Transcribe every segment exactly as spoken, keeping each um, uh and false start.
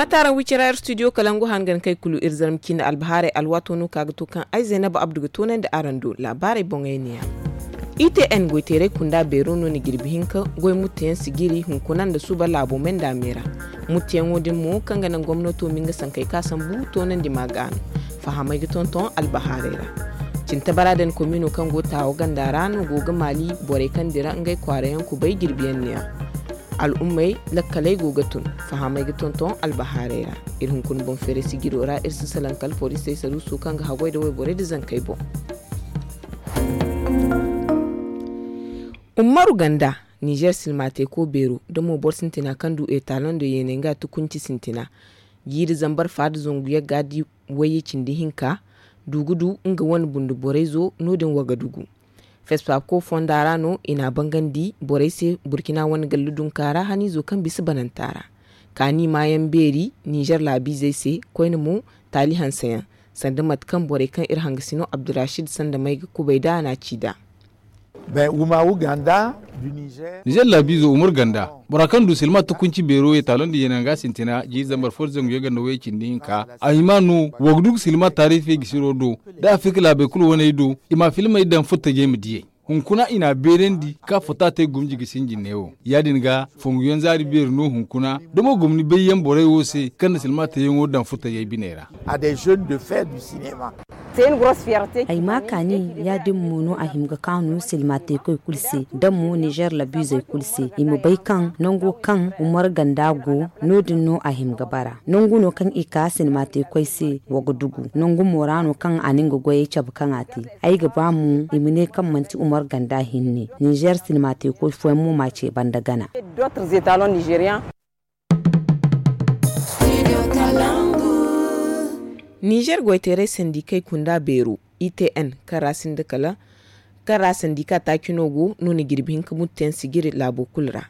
Taaraŋ wicira ir studio kalangu hangan kay kulu ir zarma cine albahaarey alwaato no ka ga to kaŋ ay zaynaba abdu ga toonandi araŋ do laabaarey boŋey neeya. I t n goyteeray kunda beero no ni jirbi hinka goy mutteyaŋ sijiri hunkuna nda suba laabo menda me ra. Mutteyaŋo din mo kaŋ ga naŋ gomnato ma nga sankey ka sambu toonandi ma ga no fahamey ga tonton albahaarey ra. Cintabara din komino kaŋ go taawo ganda ra no go ga maali borey kaŋ dira ngey kwaarayaŋ kubay jirbiyaŋ neeya. Al'ummey lakkaley go ga tun fahamey ga tonton albahaarey ra. Iri hunkuna boŋ feeray sijiro ra iri si salaŋ kala forisey saruuso kaŋ ga haggoy nda wayborey nda zankey boŋ. Ummaru ganda, nizer silma teeko beero nda mo boro sintina kaŋ du etaloŋ nda yeenay nga tukunci sintina. Jiiri zambar faada zangu yagga di wayye cindi hinka du ga du nga wane bundu borey zo no- din wagadugu. Fesfako fonda ra no i n'a bangandi borey se burkina wane gallu dunka ra haniizo kaŋ bisa bananta ra. Kaani maayaŋ beeri nizer laabiizey se koyne mo taali hanseyaŋ sanda mate kaŋ borey kaŋ iri hangasino abdurashid sanda may ga kubay nd'a n'a ci nd'a. Nizer laabiizo umar ganda bora kaŋ du silma tukunci beero ye taalo nda yeenaŋ ga sintina jiiri zambar fo nda zangu yagga nda wayye cindi hinka a hima no wa ga du ga silma taarifey gisiro do nda afirka laabey kulu waney do i ma filmey daŋ furtajey ma diyey. Hunkuna i n'a beerandi ka fota te gumji ga sinji neewo ya- din ga fonguyaŋ zaari beeri no hunkuna da mo gomni bayyaŋ borey wo se kaŋ na silma teeyaŋo daŋ furtajey biney ra. Ay ma kaani ya- din mo no a hima ga kaanu silma teekoy kulu se da mo nizer labiizey kulu se i ma bay kaŋ nango kaŋ umar ganda go no- din no a hima ga bara nangu no kaŋ i ka silma teekoy se wa ga dugu nangu mo ra no kaŋ a na nga goyey cabe kaŋ a te. Ay ga ba mo i ma ne kaŋ manti umar ganda hinne nizer silma teekoy fooyaŋ mo ma ce banda gana. Nizer goyteeray sandikey kunda beero itn kaŋ ra sinda kala kaŋ ra sandika taaci no go no na jirbi hinka mutteyaŋ sijiri laabo kulu ra.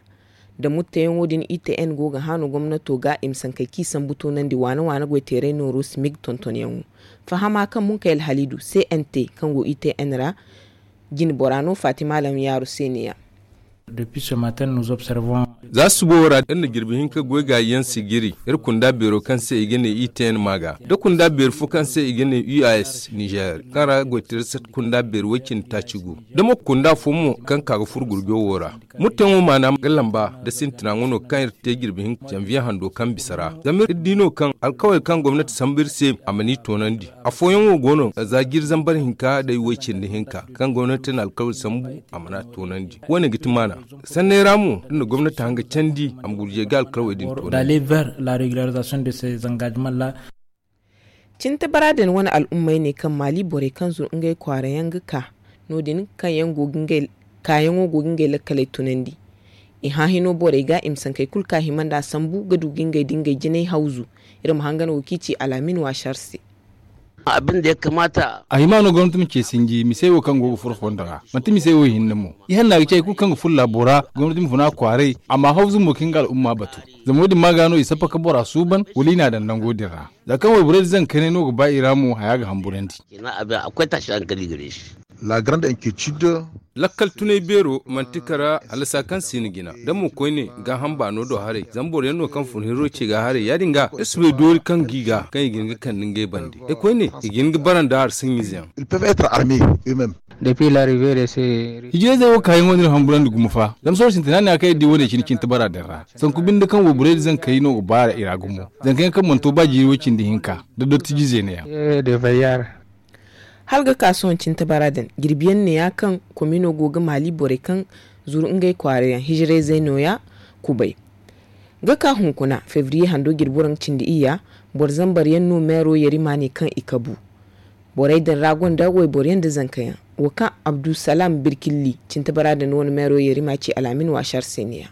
Da mutteyaŋo din itn go ga haanu gomnato ga i ma sankey kaŋ i sambu toonandi waane waane goyteeray nooro simig tontonyaŋo. Fahama kaŋ munkay alhaliidu cnt kaŋ go itn ra jine bora no fatima lamyaaru se ne ya. Za suba wo ra iri na jirbi hinka goy gaayi yaŋ sijiri iri kunda beero kaŋ se i ga ne itn maaga da kunda beeri fo kaŋ se i ga ne uas nizer kaŋ ra goytaray sat kunda beeri way- cindi taaci go da mo kunda fo mo kaŋ ka ga furo gurjo wo ra. Murteyaŋo maana ga lamba nda sintina ŋwa no kaŋ iri te jirbi hinka janviye hando kaŋ bisa ra zama iri di no kaŋ alkawali kaŋ gomnati sambu iri se a mana i toonandi. Afooyaŋo go no za jiiri zambar hinka day way- cindi hinka kaŋ gomnati na alkawali sambu a mana toonandi. Wo- ne ga ti maana sanney ra mo iri na gomnati hanga candi a ma gurjey ga alkawali din toonandi. Cintabara din wane al'ummey ne kaŋ maali borey kaŋ zuru ngey kwaara yaŋ ga ka no- din kaayaŋo go ga ngey lakkaley tunandi. I hã hino borey ga i ma sankey kulu kaŋ a hima nd'a sambu ga du ga ngey nda ngey jinay hawzu. Iri ma hangan wo kaŋ i ci alaamin waasar se. A hima no gomnati ma ce sinji misey wo kaŋ go ga furo fondo ra manti misey wo hinne mo. Ihanna ga ci hari kulu kaŋ ga furo laabo ra gomnati ma funa kwaaray a ma hawzu mo ka nga al'umma batu. Zama wo- din ma ga no i sappa ka bora suuban wala i n'a daŋ nango din ra. Za kaŋ wayborey nda zankaney no ga ba i ra mo haya ga hamburandi. Lakkal tunay beero manti kara halasa kaŋ si ni jina da mo koyne gaaham baano do haray zama boro yaŋ no kaŋ fun hiro ce ga haray ya- din ga iri si bay doori kaŋ g'i ga kaŋ i ga hin ga kande ngey bande ay koyne i ga hin ga bara nda hari saɲɲize yaŋ. Hijirayzey wo kaayaŋo no iri hamburandi gumo fa zama sohõ sintina ne a kaŋ iri di wo- ne cine cine tabara din ra. Sanku binde kaŋ wayborey nda zankey no ga baara i ra gumo. Zanka yaŋ kaŋ mana to ba jiiri way- cindi hinka nda dottijizey ne yaŋ. Hala ga ka sohõ cine tabara din jirbi yaŋ ne ya kaŋ komino go ga maali borey kaŋ zuru ngey kwaara yaŋ hijirayzey no- ya kubay. Ga ka hunkuna febriye hando jirbi waranka cindi iyya boro zambar yaŋ no meero yarima ne kaŋ i kabu. Borey din ra gonda wayboro yaŋ nda zanka yaŋ. Wo kaŋ abdulsalam birkilli cine tabara din wane meero yarima ci alaamin waasar se ne- ya.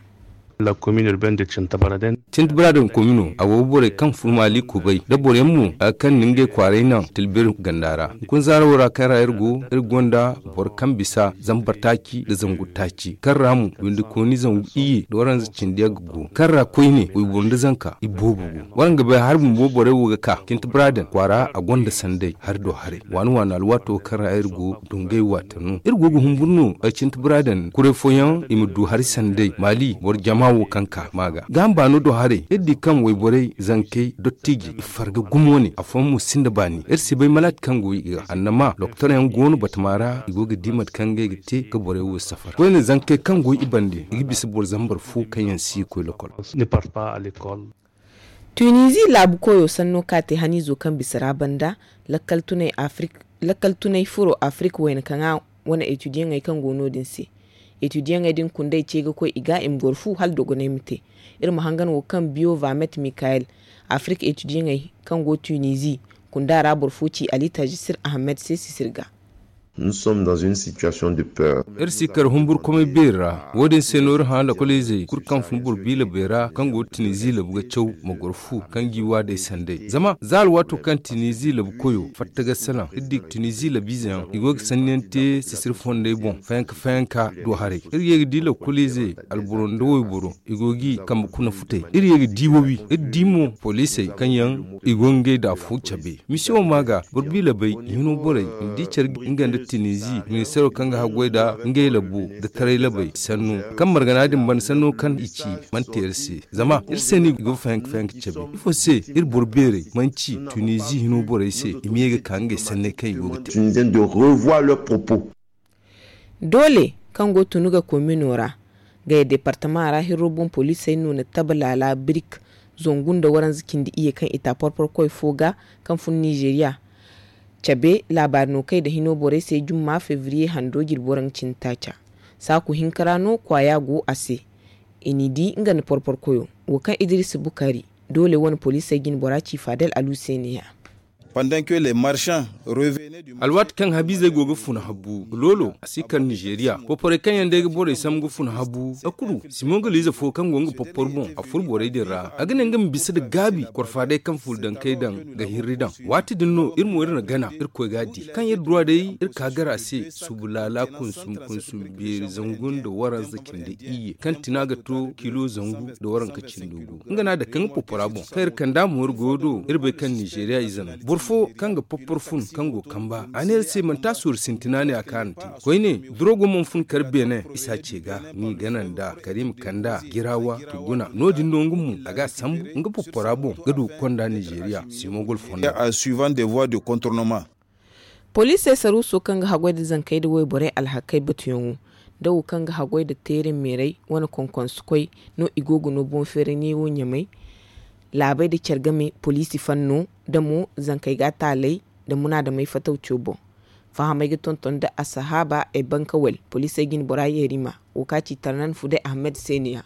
Cinti bira din komino a go ga borey kaŋ fun maali kubay nda boro yaŋ mo a ga kande ngey kwaaray naŋ tilbir ganda ra. Hunkuna zaaro ra kaŋ ra iri go iri gonda boro kaŋ bisa zambar taaci nda zangu taaci kaŋ ra mo windi kooni zangu iyye nda waranza cindi yaŋ ga go kaŋ ra koyne wayboro nda zanka i boobo go. Waraŋ ga bay hari bumbo borey wo ga ka cinti bira din kwaara a gonda sanday hari do haray waani waani alwaato kaŋ ra iri go dungay waate no iri go ga humburu no. Cinti bira din kuray fooyaŋ i ma du hari sanday maali boro jama wo kaŋ ka ma ga gaaham baano do. Haray iri di kaŋ wayborey zankey dottiji i farga gumo ne afooyaŋ mo sinda baani iri si bay malaati kaŋ go i ga annama doktor yaŋ go no batama ra i go ga di mate kaŋ ngey ga te ga borey wo safar koyne zankey kaŋ go i bande i ga bisa boro zambar fo kaŋ yaŋ si ga koy lokol. Tunizi laabu koyo sanno ka te haniizo kaŋ bisa ra banda lakkal tunay furo afirka wayna kaŋ a wane etudiyaŋey kaŋ go no- din se. Etudiyaŋey din kundey ce ga koy i ga i ma goro fu hala dogoney ma te. Iri ma hangan wo kaŋ biyo vamet mikayel afirka etudiyaŋey kaŋ go tunizi kunda ra boro fo ci ali tajisir ahamed se sisir ga. Iri si kar humburkumay beeri ra wo- din se no iri hã lakolizey kulu kaŋ fun boro biila bay ra kaŋ go tinizi labu ga caw ma goro fu kaŋ gi waadey sanday zama za alwaato kaŋ tinizi labu koyo fatta ga salaŋ iri di tinizi labiize yaŋ i go ga sanniyaŋ te sisiri fondey boŋ fayanka fayanka do haray. Iri ye ga di lakolizey alboro nda wayboro i go g'i kambe kuna futey iri ye ga di wawi iri di mo poliisey kaŋ yaŋ i go ngey da afo cabe. Misiyo ma ga boro biila bay hino borey i ma di care nga nda tinizi ministeero kaŋ ga haggoy da ngey labo da taray labey sanno kaŋ margana din banda sanno kaŋ i ci. Mana te iri se zama iri se no i go fayanka fayanka cabe ifo se iri boro beerey mana ci tinizi hino borey se i ma ye ga ka ngey sanney kaŋ i go ga te. Doole kaŋ go tunu ga komino ra gaya departama ra hirro boŋ poliisey no na taba laala birik zangu nda waranza cindi iyye kaŋ i ta porpor koy fo ga kaŋ fun nizeeriya cabe laabaari no kay nda hino borey se jumma febriye hando jirbi waraŋ ga cindi taaca. Saaku hinka ra no kwaaya go a se. I n'i di nga nda porpor koyo wo kaŋ idiriisa bukari doole wane poliisey jine bora ci faadal alu se ne- ya. Alwaati kaŋ habiizey go ga funa habbu loolo a si kar nizeeriya poporey kaŋ yaŋ day ga borey sambu ga funa habbu a kulu simon galiize fo kaŋ go nga popor boŋ a fur borey din ra a ga ne nga ma bisa nda gaabi korfa day kaŋ fur daŋ kay daŋ ga hirri daŋ. Waati din no iri mo iri na gana irkoy ga a di kaŋ iri duwa day iri ka gar a se subu laala kunsum kunsum beeri zangu nda waranza cindi iyye kaŋ tina ga to kilo zangu nda waranka cindi gu nga no a dake nga popora boŋ kaŋ iri kand'a mo iri goyo do iri bay kaŋ nizeeriya ize no boro fo kaŋ ga poppor fun kaŋ go kamba a ne iri se manti a sooru sintina ne a kaarante koyne durogo mana fun kar beene isa ce ga n'i gana nd'a kariima kand'a jiraawa tuguna no- din no nga mo a ga a sambu nga poppora boŋ ga du ga konda nizeeriya simo gol fondo. Poliisey saruuso kaŋ ga haggoy nda zankey nda wayborey alhakey batuyaŋo nda wo kaŋ ga haggoy nda teere meerey wane konkonsukoy no i go ga no boŋ-feeray neewo ɲamay. Laabey nda care game poliisi fanno nda mo zankey ga a taalay nda munaadamey fatawco boŋ. Fahamey ga tonton nda asahaaba ay bankawel poliisey jine bora yeerima wo kaŋ a ci tarnan fuday ahamed se ne- ya.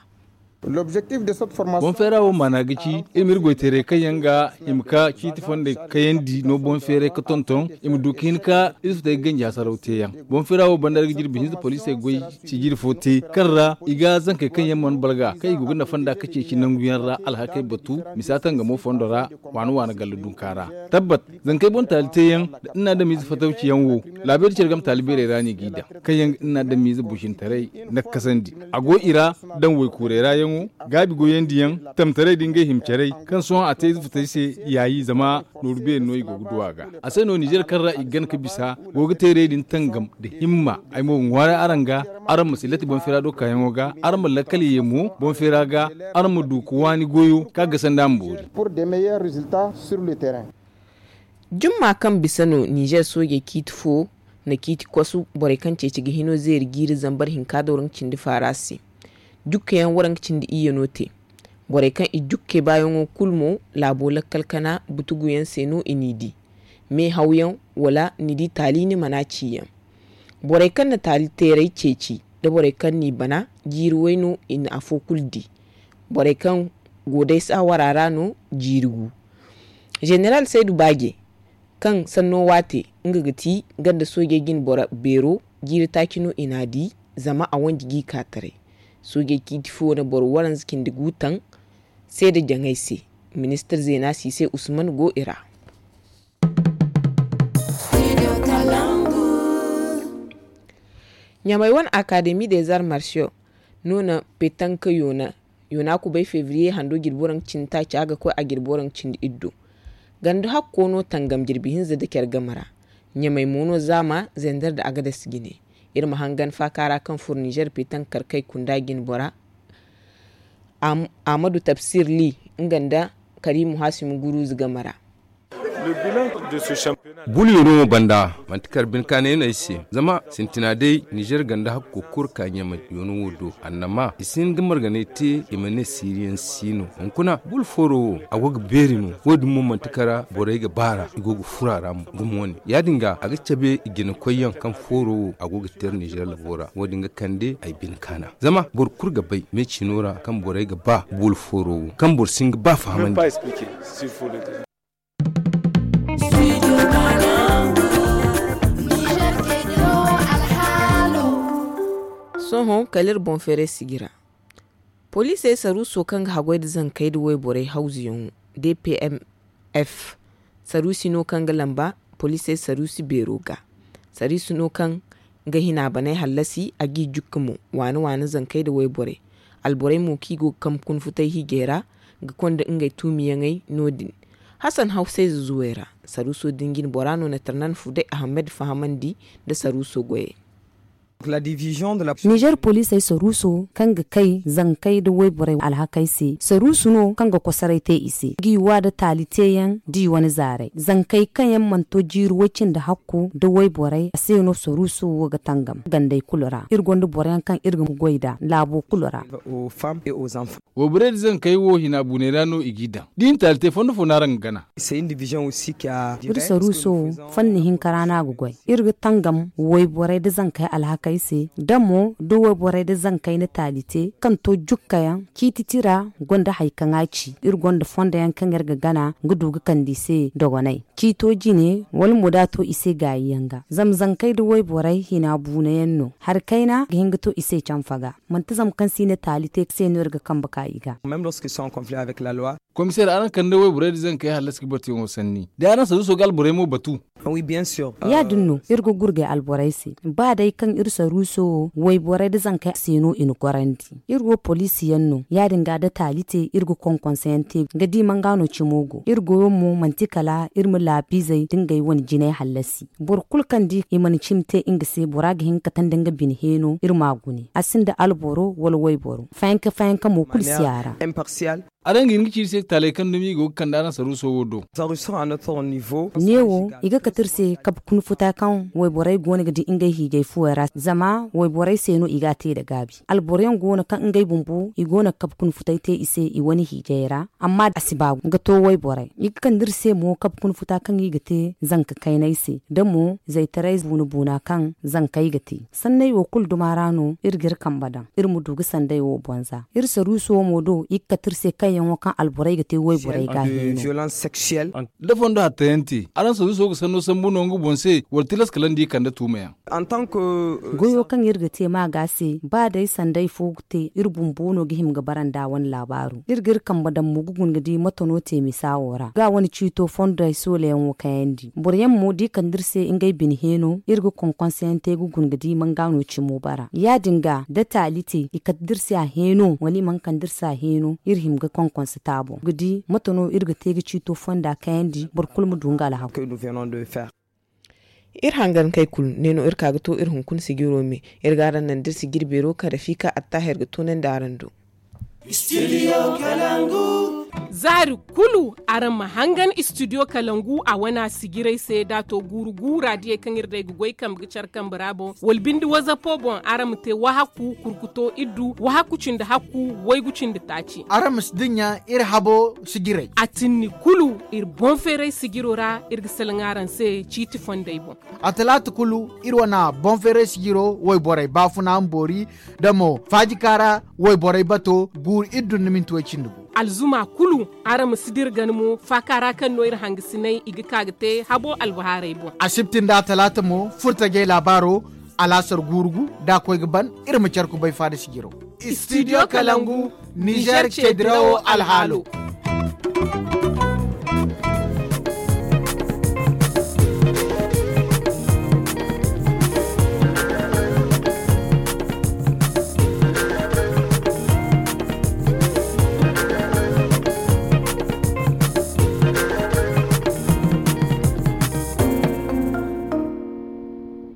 Boŋ feera wo maana ga ci iri ma iri goy teeray kaŋ yaŋ ga hima ka ciiti fondey kayandi no boŋ feeray ga tonton i ma du ga hin ka iri si te ga ganji hasaraw teeyaŋ. Boŋ feera wo banda iri ga jirbi hinza poliisey goy sijiri fo te kaŋ ra i ga zankey kaŋ yaŋ mana balga kaŋ i go ga nafa nd'a ga ceeci nangu yaŋ ra alhakey batu misa tangamo fondo ra waana waana galla dunka ra. Tabbat zankey boŋ taali teeyaŋ nda nin na adamiize fatawciyaŋ wo laabey da care game taali beerey ra no i g'i daŋ kaŋ yaŋ ga nin na adamiize busintaray nakkasandi a go i ra daŋ waykuurey ra yaŋo gaabi goyandi yaŋ tamtaray da ngey hima caray kaŋ sohõ a te ize futay se yaayi zama nooru beeri no i go ga du a ga. A se no nizer kaŋ ra i ga gana ga bisa go ga teerey din tangam nda himma ay mo ga ŋwaaray araŋ ga araŋ ma si latti boŋ feera do kaayaŋo ga araŋ ma lakkal ye mo boŋ feera ga araŋ ma du ga waani goyo kaŋ a ga sanda a ma boori. Jumma kaŋ bisa no nizer soojey ciiti fo na ciiti kosu borey kaŋ ceeci ga hino zeeri jiiri zambar hinka da waranka cindi faara se. Jukkeyaŋ waranka cindi iyye no te. Borey kaŋ i jukke baayaŋo kulu mo laabo lakkal kana butuguyaŋ se no i n'i di. Me hawyaŋ wala ni di taali ni mana ciyaŋ. Borey kaŋ na taali teeray ceeci nda borey kaŋ n'i bana jiiri way no i na afo kulu di. Borey kaŋ go day saawara ra no jiiri gu. Zeneral saydu baaje kaŋ sanno waate nga ga ti ganda soojey jine boro beero jiiri taaci no i n'a di. Zama a wanji g'i ka taray. Soojey ciiti fo na boro waranza cindi gu taŋ. Seeda jaŋay se ministir zeena siise usman go i ra. Ɲamay wane akademi des arts martiaux no na petanka yoona yoona kubay febriye hando jirbi waranka cindi taaca ga koy a jirbi waranka cindi iddo. Ganda hakko no tangam jirbi hinza da care game ra. Ɲamay mo no zaama zender da agades jine. Iri ma hangan faaka ra kaŋ fur nizer petanka karkay kunda jine bora. Ahmadu Tabsir Li, nga nda Karimu Hasimu Guruzu game ra. Bulu yoono wo banda, manti kala bine kaanay no ay se, zama sintina day nizer ganda hakko kulu ka ɲamay yoono wo do, annama i si hin ga marganay te, i ma ne siiriyaŋ si no. Hunkuna bulu fooro wo, a go ga beeri no. Wo- din mo manti kala borey ga baara, i go ga furo a ra mo gumo wane. Ya- din ga a ga cabe i jinakoyyaŋ kaŋ fooro wo a go ga teeri nizer labo ra. Wo- din ga kande ay bine kaana, zama boro kulu ga bay me ciino ra kaŋ borey ga ba bulu fooro wo kaŋ boro si hin ga ba fahamandi. Sohõ kala iri boŋ feeray sijira, poliisey saruuso kaŋ ga haggoy nda zankey nda wayborey hawzuyaŋo, d p m f, saruusi no kaŋ ga lamba poliisey saruusi beero ga. Saruusi no kaŋ ga hina baney hallasi, a g'i jukka mo waana waana zankey nda wayborey. Alborey mo kaŋ i go ga kambe kuna futay hiijay ra ga konda ngey tuumiyaŋey no- din. Hasan hawsayze zuwey ra, saruuso din jine bora no na tarnan fuday ahamed fahamandi nda saruuso goyey. Nizer poliisey saruuso kaŋ ga kay zankey nda wayborey alhakey se, saruusu no kaŋ ga kosoray te i se, g'i wa nda taali teeyaŋ da i wane zaaray. Zankey kaŋ yaŋ mana to jiiri way cindi hakku nda wayborey, a se no saruuso wo ga tangam gandey kulu ra. Iri gonda boroyaŋ kaŋ iri ga goy nd'a laabo kulu ra. Wayborey nda zankey wo hina buuney ra no i g'i daŋ. Da i na taali te fondo fo no araŋ ga gana. Iri saruuso wo fanni hinka ra no a ga goy. Iri ga tangam wayborey nda zankey alhakey se, da mo da wayborey nda zankey na taali te kaŋ to jukkayaŋ ciiti tira gonda hari kaŋ a ci. Iri gonda fondo yaŋ kaŋ iri ga gana ga du ga kande i se dogonay ciito jine wala mo da a to i se gaayi yaŋ ga. Zama zankey nda wayborey hina buuna yaŋ no. Hari kayna ga hin ga to i se canfa ga. Manti zama kaŋ se i na taali te se no iri ga kambe ka i ga. Komiseer, araŋ kande wayborey nda zankey hallasi ga batuyaŋo sanni, da araŋ saruuso ga alborey mo batu. Ya- din no iri ga gurgay alborey se, ba day kaŋ iri saruuso wo wayborey nda zankey se no i na gorandi. Iri wo poliisi yaŋ no, ya- din ga da taali te iri ga konkonse yaŋ te ga di manga no cimo go. Iri goyo mo manti kala iri ma laabiizey da ngey wane jinay hallasi. Boro kulu kaŋ di i mana cimi te nga se, bora ga hin ga kate nda nga bine heeno iri m'a gune. A sinda alboro wala wayboro, fayanka fayanka mo kulu si a ra. Araŋ ga hin ga ci iri se taaley kaŋ dumi i go ga kande araŋ saruuso wo do. Neewo i ga kate iri se kabe kuna futa kaŋ wayborey go no ga di ngey hiijay fuwey ra, zama wayborey se no i g'a te nda gaabi. Alboro yaŋ go no kaŋ ngey bumbo i go no ga kabe kuna futay te i se i wane hiijay ra, amma a si ba ga to wayborey. I ga kande iri se mo kabe kuna futa kaŋ i ga te zanka kaynay se, da mo zaytaray buuna buuna kaŋ zankey ga te. Sanney wo kulu duma ra no iri ga iri kambe daŋ iri ma du ga sanday wo bonza. Iri saruuso mo do i ga kate iri se kaŋ yaŋo kaŋ alborey ga te wayborey ga heeno. Da fondo hattayaŋ te, araŋ saruuso ga sanno sambu no nga boŋ se, wala tilas kala nda i kande tuumayaŋ? Goyo kaŋ iri ga te ma ga se, ba day sanday fo ga te, iri bumbo no ga hima ga bara nda wane laabaaro. Iri ga iri kambe daŋ mo ga guna ga di mate no te misa wo ra ga wane ciito fonday soolayaŋo kayandi. Boro yaŋ mo da i kande iri se ngey bine heeno, iri ga konkonse yaŋ te ga guna ga di manga no cimo bara. Ya- din ga da taali te i kate da iri se a heeno wala i mana kande iri se a heeno, iri hima ga konkonse taabo ga di mate no iri ga te ga ciito fonda kayandi boro kulu ma du nga alhakku. Iri hangankey kulu ne no iri ka ga to iri hunkuna sijiro me. Iri ga araŋ naŋ da iri sijiri beero kaŋ rafiika attahir ga toonandi araŋ do. Zaari kulu araŋ ma hangan istidiyo kalangu a wana sijirey se da a to guuru guura diyey kaŋ iri day ga goy kambe ga care kambe ra boŋ wala bindi wazapo boŋ araŋ ma te wahakku kurkuto iddu wahakku cindi hakku waygu cindi taaci. Araŋ ma si dinya iri habo sijirey. A tinni kulu iri boŋ feeray sijiro ra iri ga salaŋ araŋ se ciiti fonday boŋ. A talaata kulu iri wana boŋ feeray sijiro wayborey baafuna ma boori da mo faajikaara wayborey bato guuru iri dun na minti way cindi gu. Alzuma kulu araŋ ma si dira gana mo faakaara kaŋ no iri hangasinay i ga ka ga te habo albahaarey boŋ. Asibti nda talaata mo furtajey laabaaro alaasar guuru gu da a koy ga ban iri ma care kubay faada sijiro. Istidiyo kalangu nizer ceedirawo alhaalo.